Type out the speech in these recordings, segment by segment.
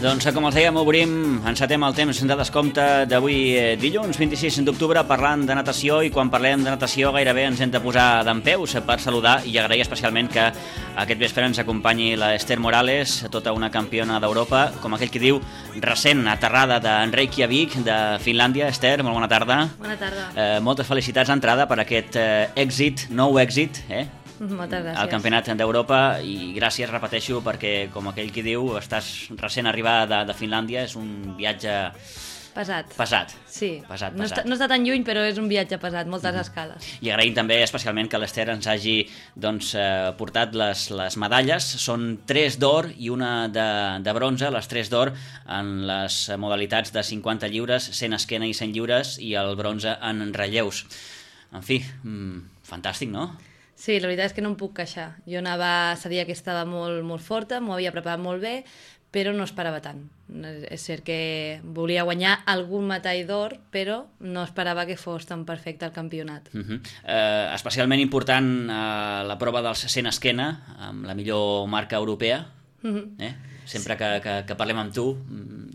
Doncs com els dèiem, encetem el temps de descompte d'avui dilluns 26 d'octubre parlant de natació, i quan parlem de natació gairebé ens hem de posar dempeus per saludar i agrair especialment que aquest vespre ens acompanyi la Esther Morales, tota una campiona d'Europa, com aquell que diu, recent aterrada de Reykjavik, de Finlàndia. Esther, molt bona tarda. Bona tarda. Moltes felicitats d'entrada per aquest nou èxit, Moltes gràcies. al Campionat d'Europa, i gràcies, repeteixo, perquè com aquell qui diu, estàs recent arribada de Finlàndia, és un viatge pesat. Sí, pesat. No està tan lluny, però és un viatge pesat, moltes escales. I agraïm també especialment que l'Esther ens hagi portat les medalles. Són 3 d'or i una de bronze, les 3 d'or en les modalitats de 50 lliures, 100 esquena i 100 lliures, i el bronze en relleus. En fi, fantàstic, no? Sí, la veritat és que no em puc queixar. Jo sabia que estava molt, molt forta, m'ho havia preparat molt bé, però no esperava tant. És cert que volia guanyar algun metall d'or, però no esperava que fos tan perfecte el campionat. Especialment important la prova dels 100 esquena, amb la millor marca europea. Sempre que parlem amb tu,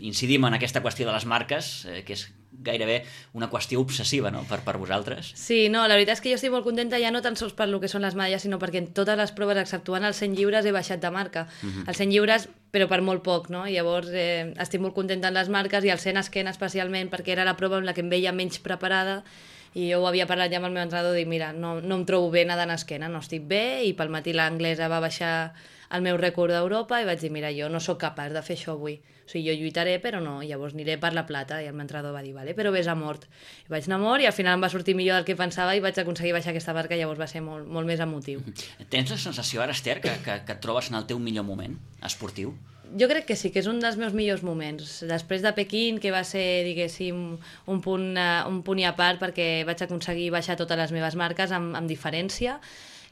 incidim en aquesta qüestió de les marques, que és gairebé una qüestió obsessiva, no?, per vosaltres. Sí, no, la veritat és que jo estic molt contenta, ja no tan sols per lo que són les medalles, sinó perquè en totes les proves, exceptuant els 100 lliures, he baixat de marca. Els 100 lliures, però per molt poc, no? Llavors estic molt contenta en les marques, i el 100 esquena especialment, perquè era la prova en la que em veia menys preparada, i jo ho havia parlat ja amb el meu entrenador, dic, mira, no em trobo bé nedant esquena, no estic bé, i pel matí l'anglesa va baixar el meu rècord d'Europa, i vaig dir, mira, jo no sóc capaç de fer això avui. O sigui, jo lluitaré, però no, llavors aniré per la plata. I el meu entrenador va dir, vale, però vés a mort. I vaig anar a mort, i al final em va sortir millor del que pensava, i vaig aconseguir baixar aquesta marca, llavors va ser molt, molt més emotiu. Tens la sensació ara, Esther, que et trobes en el teu millor moment esportiu? Jo crec que sí, que és un dels meus millors moments. Després de Pequín, que va ser, diguéssim, un punt i a part, perquè vaig aconseguir baixar totes les meves marques amb diferència,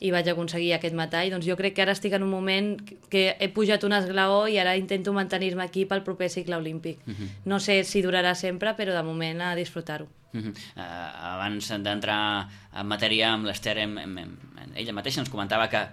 i vaig aconseguir aquest metall, doncs jo crec que ara estic en un moment que he pujat un esglaó i ara intento mantenir-me aquí pel proper cicle olímpic. No sé si durarà sempre, però de moment a disfrutar-ho. Abans d'entrar en matèria amb l'Esther, ella mateixa ens comentava que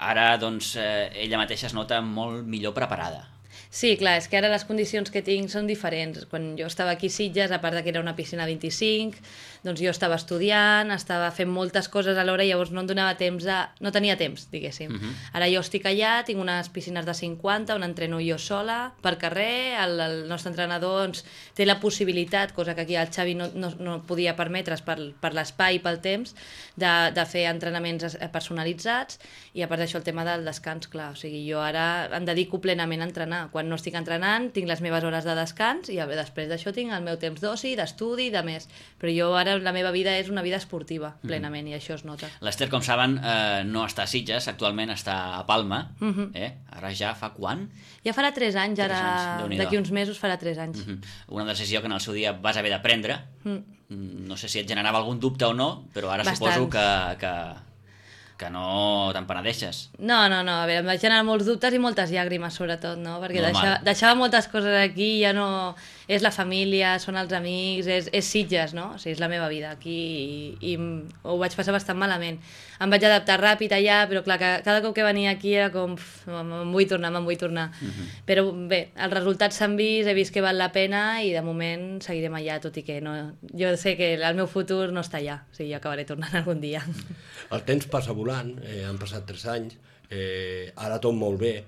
ara doncs, ella mateixa es nota molt millor preparada. Sí, clar, és que ara les condicions que tinc són diferents. Quan jo estava aquí a Sitges, a part que era una piscina 25, doncs jo estava estudiant, estava fent moltes coses alhora, i llavors no em donava temps no tenia temps, diguéssim. Ara jo estic allà, tinc unes piscines de 50, on entreno jo sola, per carrer, el nostre entrenador doncs, té la possibilitat, cosa que aquí el Xavi no podia permetre's per l'espai i pel temps, de fer entrenaments personalitzats, i a part d'això el tema del descans, clar, o sigui, jo ara em dedico plenament a entrenar. Quan no estic entrenant, tinc les meves hores de descans, i després d'això tinc el meu temps d'oci, d'estudi, de més. Però jo ara la meva vida és una vida esportiva, plenament, i això es nota. L'Esther, com saben, no està a Sitges, actualment està a Palma. Ara ja fa quan? Ja farà 3 anys, ara d'aquí uns mesos farà 3 anys. Una decisió que en el seu dia vas haver de prendre. No sé si et generava algun dubte o no, però ara suposo que no te'n penedeixes. No, a veure, em vaig generar molts dubtes i moltes llàgrimes, sobretot, no? Perquè deixava moltes coses aquí, ja no... És la família, són els amics, és Sitges, no? O sigui, és la meva vida aquí, i ho vaig passar bastant malament. Em vaig adaptar ràpid allà, però clar, cada cop que venia aquí era com... me'n vull tornar. Però bé, els resultats s'han vist, he vist que val la pena, i de moment seguirem allà, tot i que no... Jo sé que el meu futur no està allà, o sigui, jo acabaré tornant algun dia. El temps passa volant, han passat 3 anys, ara tot molt bé,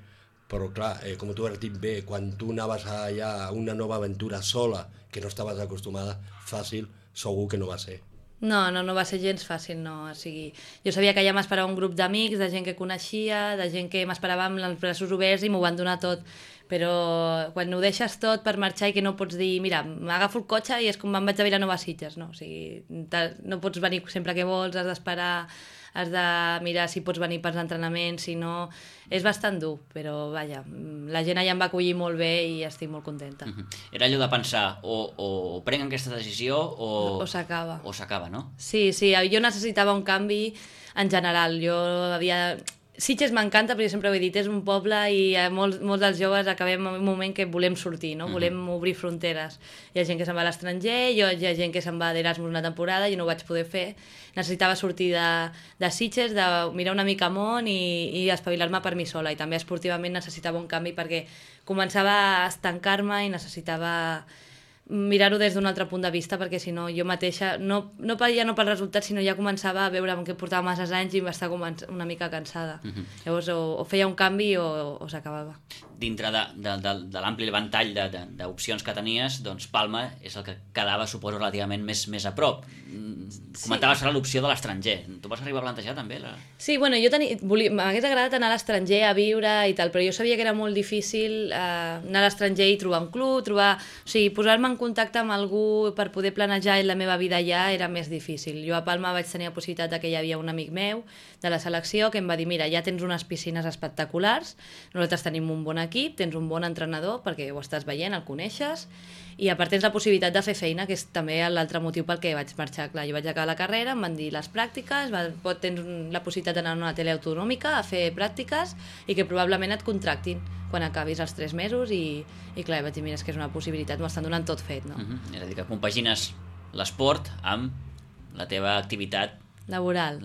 però clar, com tu has dit bé, quan tu anaves allà a una nova aventura sola, que no estaves acostumada, fàcil, segur que no va ser. No va ser gens fàcil, no. O sigui, jo sabia que allà m'esperava un grup d'amics, de gent que coneixia, de gent que m'esperava amb els braços oberts, i m'ho van donar tot. Però quan ho deixes tot per marxar i que no pots dir, mira, m'agafo el cotxe i és com me'n vaig a Vilanova a Sitges, no? O sigui, no pots venir sempre que vols, has d'esperar, has de mirar si pots venir pels entrenaments, si no... És bastant dur, però vaja, la gent allà em va acollir molt bé i estic molt contenta. Era allò de pensar, o prenc aquesta decisió o s'acaba. O s'acaba, no? Sí, jo necessitava un canvi en general. Jo Sitges m'encanta, però jo sempre ho he dit, és un poble i molts dels joves acabem en un moment que volem sortir, no? Volem obrir fronteres. Hi ha gent que se'n va a l'estranger, hi ha gent que se'n va d'Erasmus una temporada, jo no ho vaig poder fer. Necessitava sortir de Sitges, de mirar una mica món i espavilar-me per mi sola. I també esportivament necessitava un canvi perquè començava a estancar-me i necessitava mirar-ho des d'un altre punt de vista, perquè si no jo mateixa, ja no pel resultat, sinó ja començava a veure que portava masses anys i m'estava una mica cansada. Llavors o feia un canvi o s'acabava. Dintre de l'ampli ventall d'opcions que tenies, doncs Palma és el que quedava, suposo, relativament més a prop. Comentaves ara l'opció de l'estranger. Tu vas arribar a plantejar també? Sí, bueno, m'hagués agradat anar a l'estranger a viure i tal, però jo sabia que era molt difícil anar a l'estranger i trobar un club, posar-me en contacte amb algú per poder planejar la meva vida allà era més difícil. Jo a Palma vaig tenir la possibilitat que hi havia un amic meu de la selecció que em va dir, mira, ja tens unes piscines espectaculars, nosaltres tenim un bon equip, tens un bon entrenador perquè ho estàs veient, el coneixes, i a part tens la possibilitat de fer feina, que és també l'altre motiu pel que vaig marxar. Clar, jo vaig acabar la carrera, em van dir les pràctiques, tens la possibilitat d'anar a una tele autonòmica a fer pràctiques i que probablement et contractin quan acabis els 3 mesos i clar, vaig dir, mira, és que és una possibilitat, m'ho estan donant tot fet, no? És a dir, que compagines l'esport amb la teva activitat laboral.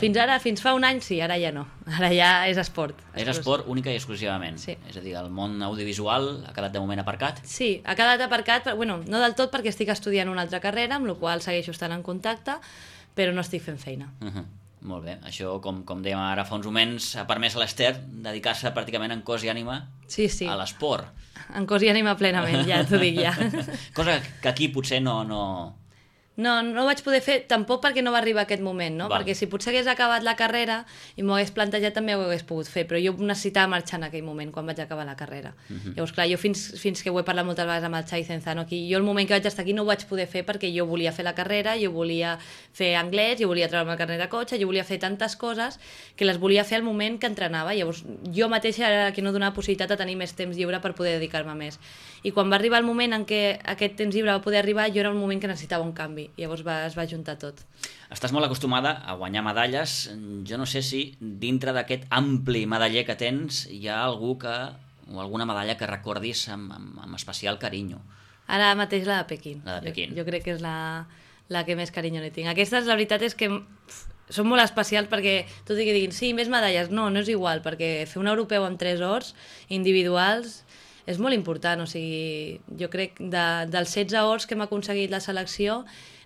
Fins fa un any sí, ara ja no. Ara ja és esport. És esport única i exclusivament. Sí. És a dir, el món audiovisual ha quedat de moment aparcat? Sí, ha quedat aparcat, bueno, no del tot perquè estic estudiant una altra carrera, amb la qual segueixo estant en contacte, però no estic fent feina. Molt bé, això, com dèiem ara fa uns moments, ha permès a l'Ester dedicar-se pràcticament en cos i ànima a l'esport. En cos i ànima plenament, ja t'ho dic ja. Cosa que aquí potser no ho vaig poder fer tampoc perquè no va arribar aquest moment, no? Perquè si potser hagués acabat la carrera i m'ho hagués plantejat també ho hagués pogut fer, però jo necessitava marxar en aquell moment quan vaig acabar la carrera. Llavors, clar, jo fins que ho he parlat moltes vegades amb el Xavi Cenzano aquí, jo el moment que vaig estar aquí no ho vaig poder fer perquè jo volia fer la carrera, jo volia fer anglès, jo volia treure'm el carnet de cotxe, jo volia fer tantes coses que les volia fer al moment que entrenava. Llavors, jo mateixa era qui no donava possibilitat de tenir més temps lliure per poder dedicar-me més. I quan va arribar el moment en què aquest temps lliure va poder arribar, jo era un moment que necessitava un canvi. Llavors es va juntar tot. Estàs molt acostumada a guanyar medalles. Jo no sé si dintre d'aquest ampli medaller que tens hi ha algú o alguna medalla que recordis amb especial carinyo. Ara mateix la de Pequín. La de Pequín. Jo crec que és la que més carinyo li tinc. Aquestes, la veritat és que són molt especials perquè tot i que diguin, sí, més medalles, no és igual, perquè fer un europeu amb 3 ors individuals és molt important. O sigui, jo crec dels 16 ors que hem aconseguit la selecció,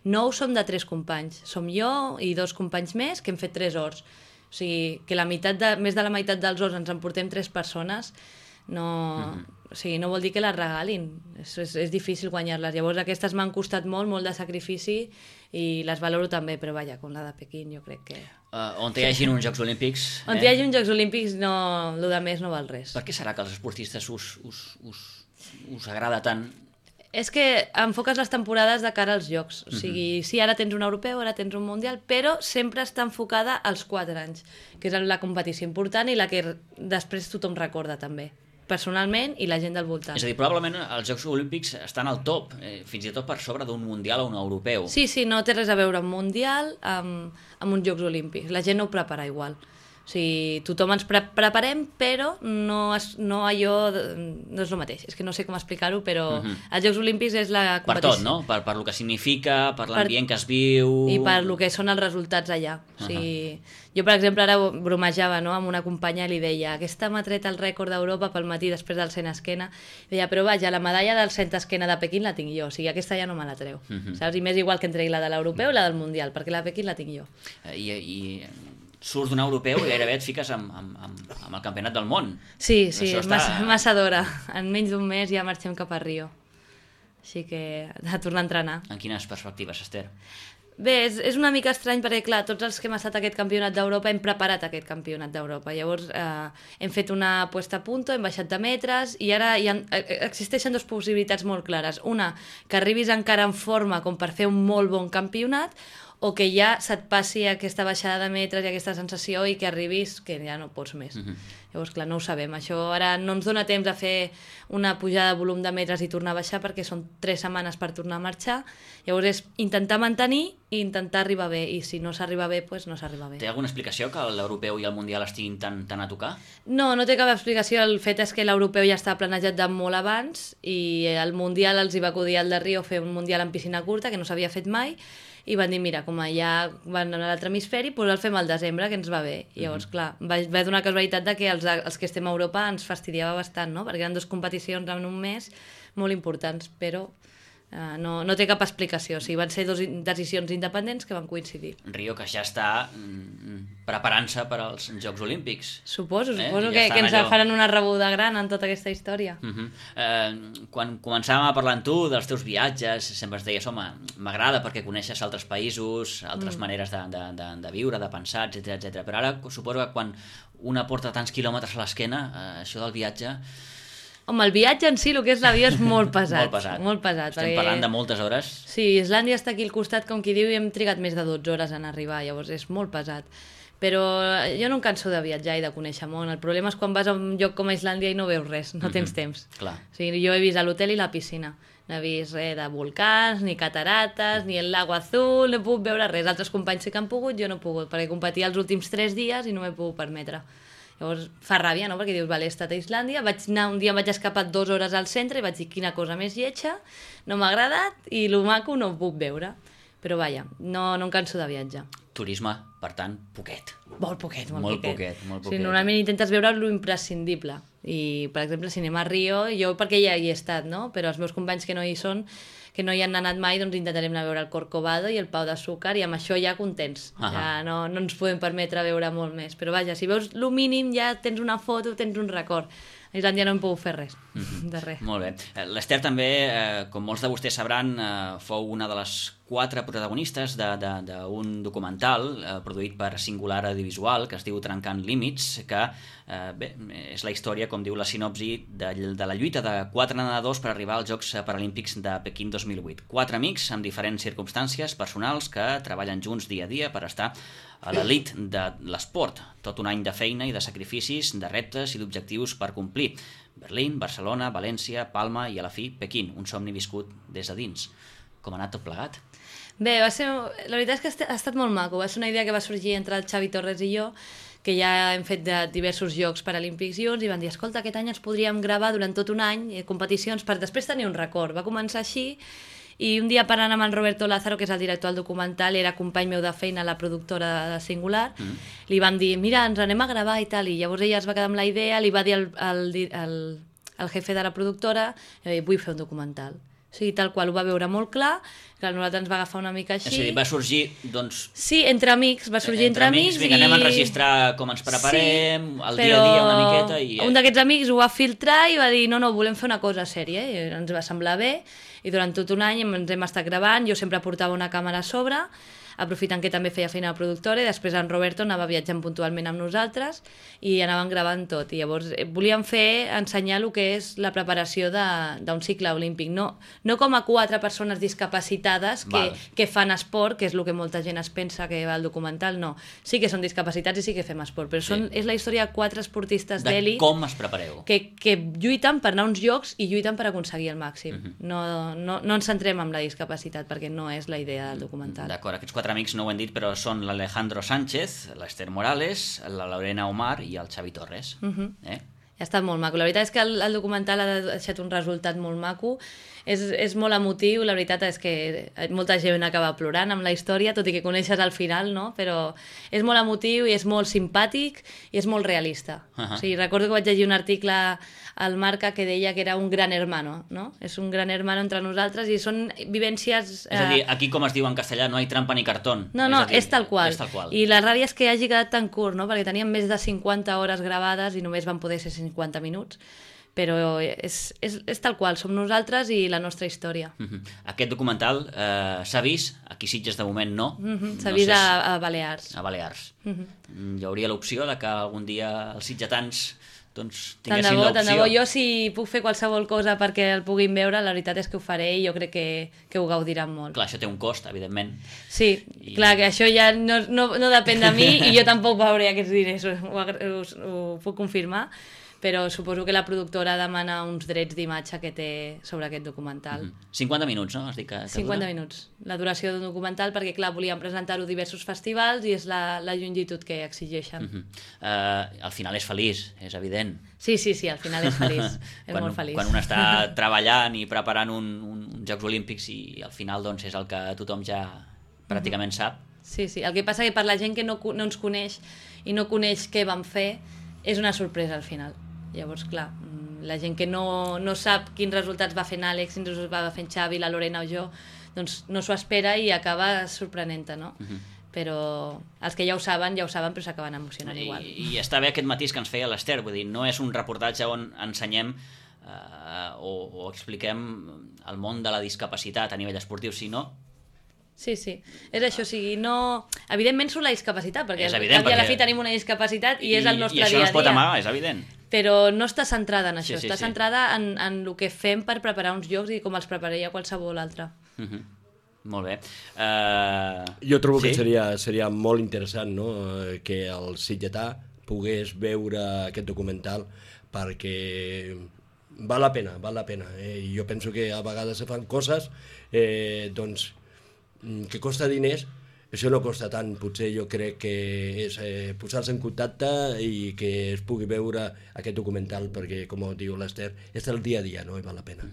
9 som de 3 companys. Som jo i 2 companys més que hem fet 3 ors. O sigui, que més de la meitat dels ors ens emportem 3 persones, o sigui, no vol dir que les regalin. És difícil guanyar-les. Llavors aquestes m'han costat molt de sacrifici i les valoro també, però vaja, com la de Pequín jo crec que... On hi hagin uns Jocs Olímpics... On hi hagi uns Jocs Olímpics, el de més no val res. Per què serà que als esportistes us agrada tant? És que enfoques les temporades de cara als Jocs. O sigui, sí, ara tens un europeu, ara tens un mundial, però sempre està enfocada als 4 anys, que és la competició important i la que després tothom recorda també, personalment i la gent del voltant. És a dir, probablement els Jocs Olímpics estan al top, fins i tot per sobre d'un mundial o un europeu. Sí, no té res a veure un mundial amb uns Jocs Olímpics. La gent no ho prepara igual. O sigui, tothom ens preparem, però no és el mateix. És que no sé com explicar-ho, però els Jocs Olímpics és la competició. Per tot, no? Per lo que significa, per l'ambient que es viu... I per lo que són els resultats allà. O sigui, jo, per exemple, ara bromejava amb una companya i li deia, aquesta m'ha tret el rècord d'Europa pel matí després del 100 esquena. I deia, però vaja, la medalla del 100 esquena de Pequín la tinc jo. O sigui, aquesta ja no me la treu. Saps? I m'és igual que em tregui la de l'europeu i la del mundial, perquè la de Pequín la tinc jo. I surts d'un europeu i gairebé et fiques amb el campionat del món. Sí, massa d'hora. En menys d'un mes ja marxem cap a Rio. Així que a tornar a entrenar. En quines perspectives, Ester? Bé, és una mica estrany perquè, clar, tots els que hem estat a aquest campionat d'Europa hem preparat aquest campionat d'Europa. Llavors hem fet una puesta a punto, hem baixat de metres i ara existeixen 2 possibilitats molt clares. Una, que arribis encara en forma com per fer un molt bon campionat, o que ja se't passi aquesta baixada de metres i aquesta sensació i que arribis que ja no pots més. Llavors, clar, no ho sabem. Això ara no ens dona temps de fer una pujada de volum de metres i tornar a baixar perquè són 3 setmanes per tornar a marxar. Llavors és intentar mantenir i intentar arribar bé, i si no s'arriba bé, doncs no s'arriba bé. Té alguna explicació que l'europeu i el mundial estiguin tan a tocar? No, no té cap explicació. El fet és que l'europeu ja estava planejat de molt abans i el mundial els hi va acudir al de Rio fer un mundial en piscina curta que no s'havia fet mai, i van dir, mira, com ja van a l'altre hemisferi, doncs el fem al desembre, que ens va bé. I llavors, clar, va donar casualitat de que els que estem a Europa ens fastidiava bastant, no? Perquè eren 2 competicions en un mes molt importants, però no té cap explicació. O sigui, van ser 2 decisions independents que van coincidir. Rio, que ja està preparant-se per als Jocs Olímpics. Suposo que ens faran una rebuda gran en tota aquesta història. Quan començàvem a parlar amb tu dels teus viatges, sempre ens deies, home, m'agrada perquè coneixes altres països, altres maneres de viure, de pensar, etc. Però ara suposo que quan una porta tants quilòmetres a l'esquena, això del viatge... Home, el viatge en si, el que és l'avió, és molt pesat. Molt pesat. Estem parlant de moltes hores. Sí, Islàndia està aquí al costat, com qui diu, i hem trigat més de 12 hores en arribar, llavors és molt pesat. Però jo no em canso de viatjar i de conèixer món. El problema és quan vas a un lloc com a Islàndia i no veus res, no tens temps. Clar. O sigui, jo he vist l'hotel i la piscina. No he vist res de volcans, ni catarates, ni el lago azul, no he pogut veure res. Altres companys sí que han pogut, jo no he pogut, perquè competia els últims 3 dies i no m'he pogut permetre. Llavors fa ràbia, no? Perquè dius, vale, he estat a Islàndia, un dia em vaig escapar 2 hores al centre i vaig dir, quina cosa més lletja, no m'ha agradat i lo maco no ho puc veure. Però vaja, no em canso de viatjar. Turisme, per tant, poquet. Molt poquet. Sí, normalment intentes veure lo imprescindible. I, per exemple, si anem a Rio, jo perquè ja hi he estat, no? Però els meus companys que no hi són, que no hi han anat mai, doncs intentarem anar a veure el Corcovado i el Pau d'Azúcar, i amb això ja contents. Ja no ens podem permetre veure molt més. Però vaja, si veus lo mínim ja tens una foto, tens un record. A Islàndia no hem pogut fer res, de res. Molt bé. L'Ester també, com molts de vostès sabran, fou una de les 4 protagonistes d'un documental produït per Singular Audiovisual que es diu Trencant Límits, que és la història, com diu la sinopsi, de la lluita de 4 nedadors per arribar als Jocs Paralímpics de Pequín 2008. 4 amics amb diferents circumstàncies personals que treballen junts dia a dia per estar a l'elit de l'esport. Tot un any de feina i de sacrificis, de reptes i d'objectius per complir. Berlín, Barcelona, València, Palma i a la fi Pequín, un somni viscut des de dins. Com ha anat tot plegat? Bé, la veritat és que ha estat molt maco. Va ser una idea que va sorgir entre el Xavi Torres i jo, que ja hem fet de diversos Jocs Paralímpics junts, i van dir, escolta, aquest any ens podríem gravar durant tot un any competicions per després tenir un record. Va començar així, i un dia parlant amb el Roberto Lázaro, que és el director del documental, era company meu de feina a la productora de Singular, li van dir, mira, ens anem a gravar i tal, i llavors ella es va quedar amb la idea, li va dir al jefe de la productora, vull fer un documental. O sigui, tal qual, ho va veure molt clar, que nosaltres ens va agafar una mica així. És a dir, va sorgir, doncs... Sí, entre amics, va sorgir entre amics. Vinga, anem a enregistrar com ens preparem, el dia a dia una miqueta i... Un d'aquests amics ho va filtrar i va dir, no, volem fer una cosa sèria, i ens va semblar bé, i durant tot un any ens hem estat gravant, jo sempre portava una càmera a sobre, aprofitant que també feia feina a la productora, i després en Roberto anava viatjant puntualment amb nosaltres i anaven gravant tot. I llavors volíem ensenyar el que és la preparació d'un cicle olímpic. No com a 4 persones discapacitades que fan esport, que és el que molta gent es pensa que va al documental, no. Sí que són discapacitats i sí que fem esport, però és la història de 4 esportistes d'elit... De com es prepareu. Que lluiten per anar a uns jocs i lluiten per aconseguir el màxim. No ens centrem en la discapacitat, perquè no és la idea del documental. D'acord, aquests 4 amics no ho hem dit, però són l'Alejandro Sánchez, l'Ester Morales, la Lorena Omar i el Xavi Torres. Ha estat molt maco. La veritat és que el documental ha deixat un resultat molt maco. És molt emotiu, la veritat és que molta gent acaba plorant amb la història, tot i que coneixes al final, no? Però és molt emotiu i és molt simpàtic i és molt realista. O sigui, recordo que vaig llegir un article al Marca que deia que era un gran hermano, no? És un gran hermano entre nosaltres i són vivències... És a dir, aquí com es diu en castellà, no hi trampa ni cartón. No, és tal qual. I la ràbia és que hagi quedat tan curt, no? Perquè teníem més de 50 hores gravades i només van poder ser 50 minuts. Però és tal qual, som nosaltres i la nostra història. Aquest documental s'ha vist, aquí Sitges de moment no. S'ha vist a Balears. A Balears. Hi hauria l'opció de que algun dia els sitgetans doncs Tant de tinguessin bo, tant de bo. l'opció. Jo si puc fer qualsevol cosa perquè el puguin veure, la veritat és que ho faré i jo crec que ho gaudiran molt. Clar, això té un cost, evidentment. Sí, clar, que això ja no depèn de mi i jo tampoc veuré aquests diners, ho puc confirmar, però suposo que la productora demana uns drets d'imatge que té sobre aquest documental. 50 minuts, no? Has dit que 50 dura? minuts, la duració d'un documental, perquè clar, volíem presentar-ho a diversos festivals i és la longitud que exigeixen. Al final és feliç, és evident. Sí, al final és feliç, és molt feliç. Quan un està treballant i preparant uns Jocs Olímpics i al final doncs, és el que tothom ja pràcticament sap. Sí, el que passa que per la gent que no ens coneix i no coneix què vam fer, és una sorpresa al final. Llavors, clar, la gent que no sap quins resultats va fent Àlex, quins resultats va fent Xavi, la Lorena o jo, doncs no s'ho espera i acaba sorprenent-te, no? Però els que ja ho saben, però s'acaben emocionant igual. I està bé aquest matís que ens feia l'Ester, vull dir, no és un reportatge on ensenyem o expliquem el món de la discapacitat a nivell esportiu, sinó... Sí, és això, o sigui, no... Evidentment surt la discapacitat, perquè és evident, a la fi tenim una discapacitat i és el nostre dia a dia. I això no es pot amagar, és evident. Però no està centrada en això, està centrada en el que fem per preparar uns jocs i com els prepararia qualsevol altre. Molt bé. Jo trobo que seria molt interessant, no?, que el sitgetà pogués veure aquest documental perquè val la pena. I jo penso que a vegades se fan coses doncs que costa diners. Això no costa tant, potser jo crec que és posar-se en contacte i que es pugui veure aquest documental, perquè, com diu l'Ester, és el dia a dia, no?, i val la pena.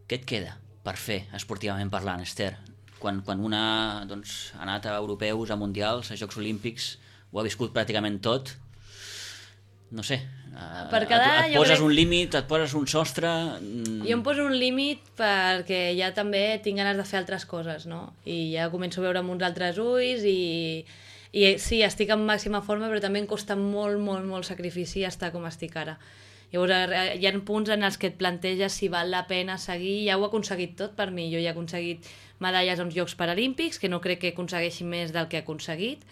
Què et queda per fer, esportivament parlant, Ester? Quan una doncs, ha anat a europeus, a mundials, a Jocs Olímpics, ho ha viscut pràcticament tot, no sé, et poses un límit, et poses un sostre... Jo em poso un límit perquè ja també tinc ganes de fer altres coses, no? I ja començo a veure amb uns altres ulls i sí, estic en màxima forma, però també em costa molt sacrifici estar com estic ara. Llavors hi ha punts en els que et planteges si val la pena seguir. Ja ho he aconseguit tot per mi. Jo ja he aconseguit medalles als Jocs Paralímpics, que no crec que aconsegueixi més del que he aconseguit.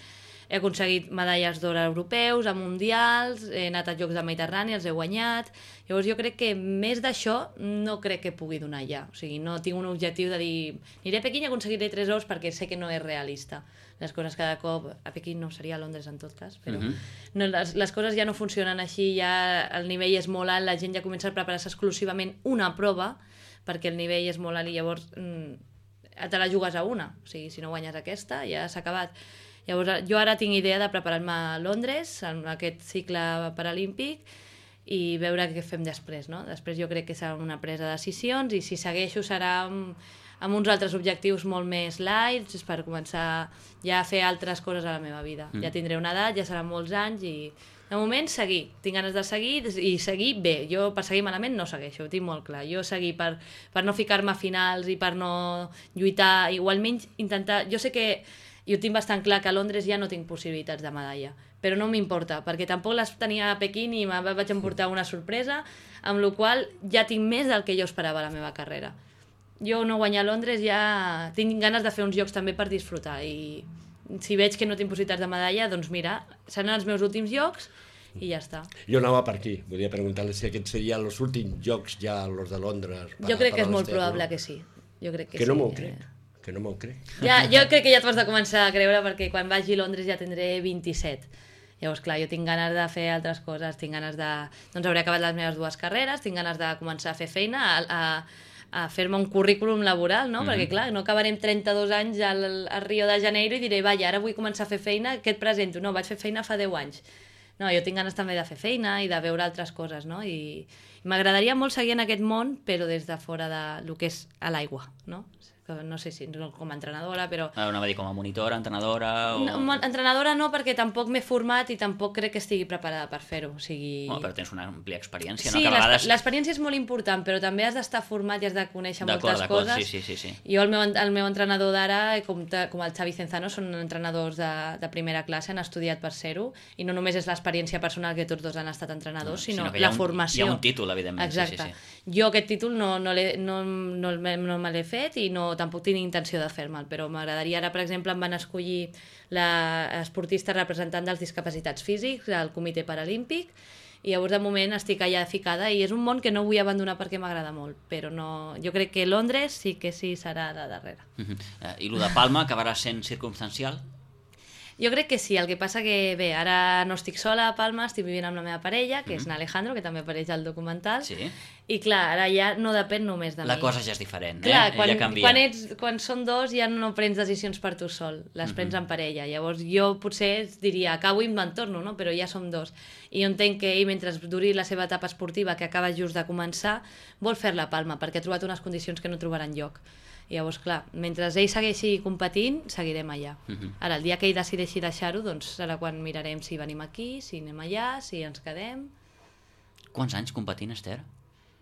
He aconseguit medalles d'or europeus, a mundials, he anat a Jocs de Mediterrani, els he guanyat. Llavors jo crec que més d'això no crec que pugui donar ja. O sigui, no tinc un objectiu de dir aniré a Pequín i aconseguiré 3 ors perquè sé que no és realista. Les coses cada cop... A Pequín no, seria a Londres en tot cas, però no, les coses ja no funcionen així, ja el nivell és molt alt, la gent ja comença a preparar-se exclusivament una prova perquè el nivell és molt alt i llavors te la jugues a una. O sigui, si no guanyes aquesta, ja s'ha acabat. Llavors, jo ara tinc idea de preparar-me a Londres, en aquest cicle paralímpic, i veure què fem després, no? Després jo crec que serà una presa de decisions i si segueixo serà amb uns altres objectius molt més light, per començar ja a fer altres coses a la meva vida. Ja tindré una edat, ja seran molts anys i de moment seguir. Tinc ganes de seguir i seguir bé. Jo per seguir malament no segueixo, ho tinc molt clar. Jo seguir per no ficar-me a finals i per no lluitar, igualment intentar... Jo sé que i ho tinc bastant clar que a Londres ja no tinc possibilitats de medalla, però no m'importa, perquè tampoc les tenia a Pequín i me vaig emportar una sorpresa, amb la qual ja tinc més del que jo esperava a la meva carrera. Jo no guanyar a Londres ja tinc ganes de fer uns jocs també per disfrutar i si veig que no tinc possibilitats de medalla, doncs mira, seran els meus últims jocs i ja està. Jo anava per aquí, volia preguntar-li si aquests serien els últims jocs ja, els de Londres. Jo crec que és molt probable que sí. Jo crec que no m'ho crec. Que no m'ho crec. Ja, jo crec que ja t'ho has de començar a creure perquè quan vagi a Londres ja tindré 27. Llavors, clar, jo tinc ganes de fer altres coses, tinc ganes de... Doncs hauré acabat les meves 2 carreres, tinc ganes de començar a fer feina, a fer-me un currículum laboral, no? Perquè, clar, no acabarem 32 anys al Rio de Janeiro i diré, vaja, ara vull començar a fer feina, què et presento? No, vaig fer feina fa 10 anys. No, jo tinc ganes també de fer feina i de veure altres coses, no? I m'agradaria molt seguir en aquest món, però des de fora del que és a l'aigua, no? No sé si com a entrenadora, però... Anava a dir com a monitora, entrenadora... O... No, entrenadora no, perquè tampoc m'he format i tampoc crec que estigui preparada per fer-ho. O sigui... però tens una àmplia experiència, sí, no? Que a vegades... l'experiència és molt important, però també has d'estar format i has de conèixer moltes coses. Sí. Jo, el meu entrenador d'ara, com el Xavi Cenzano, són entrenadors de primera classe, han estudiat per ser-ho, i no només és l'experiència personal que tots dos han estat entrenadors, sinó la formació. Hi ha un títol, evidentment. Exacte. Sí. Jo aquest títol no me l'he fet i tampoc tinc intenció de fer-me'l, però m'agradaria ara, per exemple, em van escollir l'esportista representant dels discapacitats físics al Comitè Paralímpic i llavors de moment estic allà ficada i és un món que no vull abandonar perquè m'agrada molt, però no, jo crec que Londres sí que sí serà de darrere. I el de Palma acabarà sent circumstancial? Jo crec que sí, el que passa que, bé, ara no estic sola a Palma, estic vivint amb la meva parella, que és Alejandro, que també apareix al documental, i clar, ara ja no depèn només de mi. La cosa ja és diferent, clar, ja canvia. Quan són dos ja no prens decisions per tu sol, les prens en parella. Llavors jo potser diria, acabo i me'n torno, no? Però ja som dos. I jo entenc que ell, mentre duri la seva etapa esportiva, que acaba just de començar, vol fer-la a Palma, perquè ha trobat unes condicions que no trobarà enlloc. I llavors, clar, mentre ell segueixi competint, seguirem allà. Ara, el dia que ell decideixi deixar-ho, doncs serà quan mirarem si venim aquí, si anem allà, si ens quedem. Quants anys competint, Esther?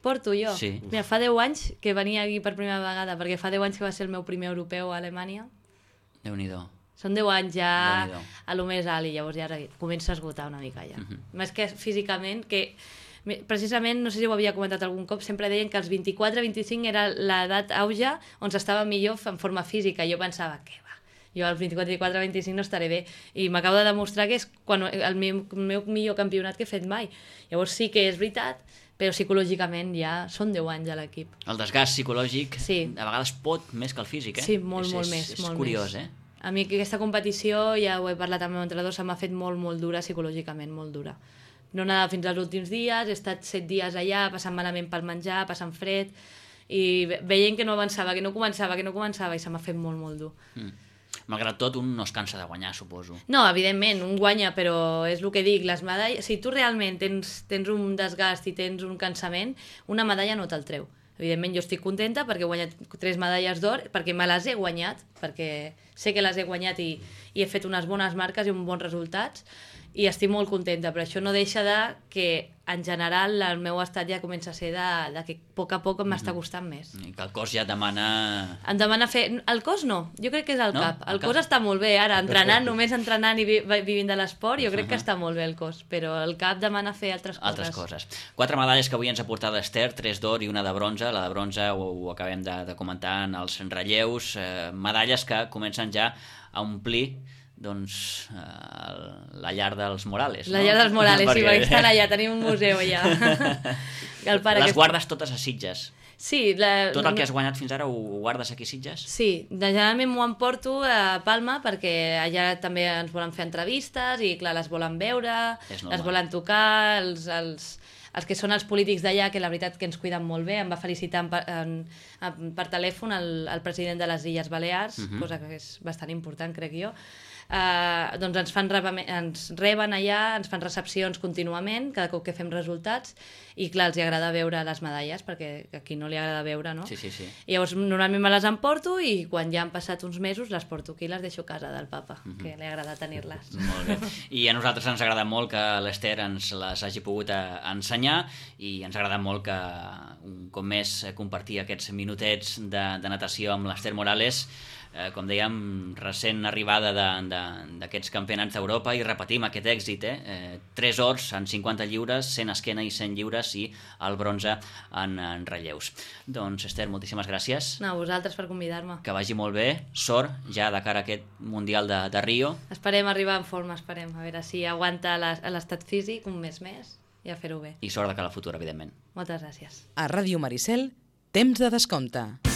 Porto jo? Sí. Mira, fa 10 anys que venia aquí per primera vegada, perquè fa 10 anys que va ser el meu primer europeu a Alemanya. Déu-n'hi-do. Són 10 anys ja a lo més alt i llavors ja comença a esgotar una mica ja. Més que físicament, que precisament, no sé si ho havia comentat algun cop, sempre deien que els 24-25 era l'edat auge on s'estava millor en forma física. Jo pensava, què va? Jo als 24-25 no estaré bé. I m'acabo de demostrar que és el meu millor campionat que he fet mai. Llavors sí que és veritat, però psicològicament ja són 10 anys a l'equip. El desgast psicològic a vegades pot més que el físic, eh? Sí, molt més. És curiós, eh? A mi aquesta competició, ja ho he parlat amb el meu entrenador, se m'ha fet molt dura psicològicament, molt dura. No anava fins als últims dies, he estat 7 dies allà, passant malament pel menjar, passant fred, i veient que no avançava, que no començava, i se m'ha fet molt dur. Malgrat tot, un no es cansa de guanyar, suposo. No, evidentment, un guanya, però és el que dic, les medalles... Si tu realment tens un desgast i tens un cansament, una medalla no te'l treu. Evidentment, jo estic contenta perquè he guanyat 3 medalles d'or, perquè me les he guanyat, perquè sé que les he guanyat i he fet unes bones marques i uns bons resultats, i estic molt contenta, però això no deixa de que en general el meu estat ja comença a ser de que a poc m'està costant més. I que el cos ja et demana... Em demana fer... El cos no, jo crec que és el cap. El cos està molt bé, ara, només entrenant i vivint de l'esport, jo crec que està molt bé el cos, però el cap demana fer altres coses. 4 medalles que avui ens ha portat l'Ester, 3 d'or i una de bronze. La de bronze ho acabem de comentar en els relleus. Medalles que comencen ja a omplir la llar dels Morales. La llar dels Morales, sí, perquè estan allà, tenim un museu allà. Les guardes totes a Sitges? Sí. Tot el que has guanyat fins ara ho guardes aquí a Sitges? Sí, generalment m'ho emporto a Palma perquè allà també ens volen fer entrevistes i clar, les volen veure, les volen tocar, els que són els polítics d'allà, que la veritat que ens cuiden molt bé, em va felicitar per telèfon el president de les Illes Balears, cosa que és bastant important, crec jo. Doncs ens reben allà, ens fan recepcions contínuament, cada cop que fem resultats, i clar, els agrada veure les medalles, perquè a qui no li agrada veure, no? Sí. I llavors normalment me les emporto i quan ja han passat uns mesos les porto aquí i les deixo a casa del papa, que li agrada tenir-les. Molt bé. I a nosaltres ens agrada molt que l'Ester ens les hagi pogut ensenyar i ens agrada molt que un cop més compartir aquests minutets de natació amb l'Ester Morales, com dèiem, recent arribada d'aquests campionats d'Europa, i repetim aquest èxit, 3 ors en 50 lliures, 100 esquena i 100 lliures, i el bronze en relleus. Doncs, Esther, moltíssimes gràcies. No, a vosaltres per convidar-me. Que vagi molt bé, sort ja de cara a aquest Mundial de Rio. Esperem arribar en forma, a veure si aguanta l'estat físic un mes més i a fer-ho bé. I sort de cara al futur, evidentment. Moltes gràcies. A Ràdio Maricel, temps de descompte.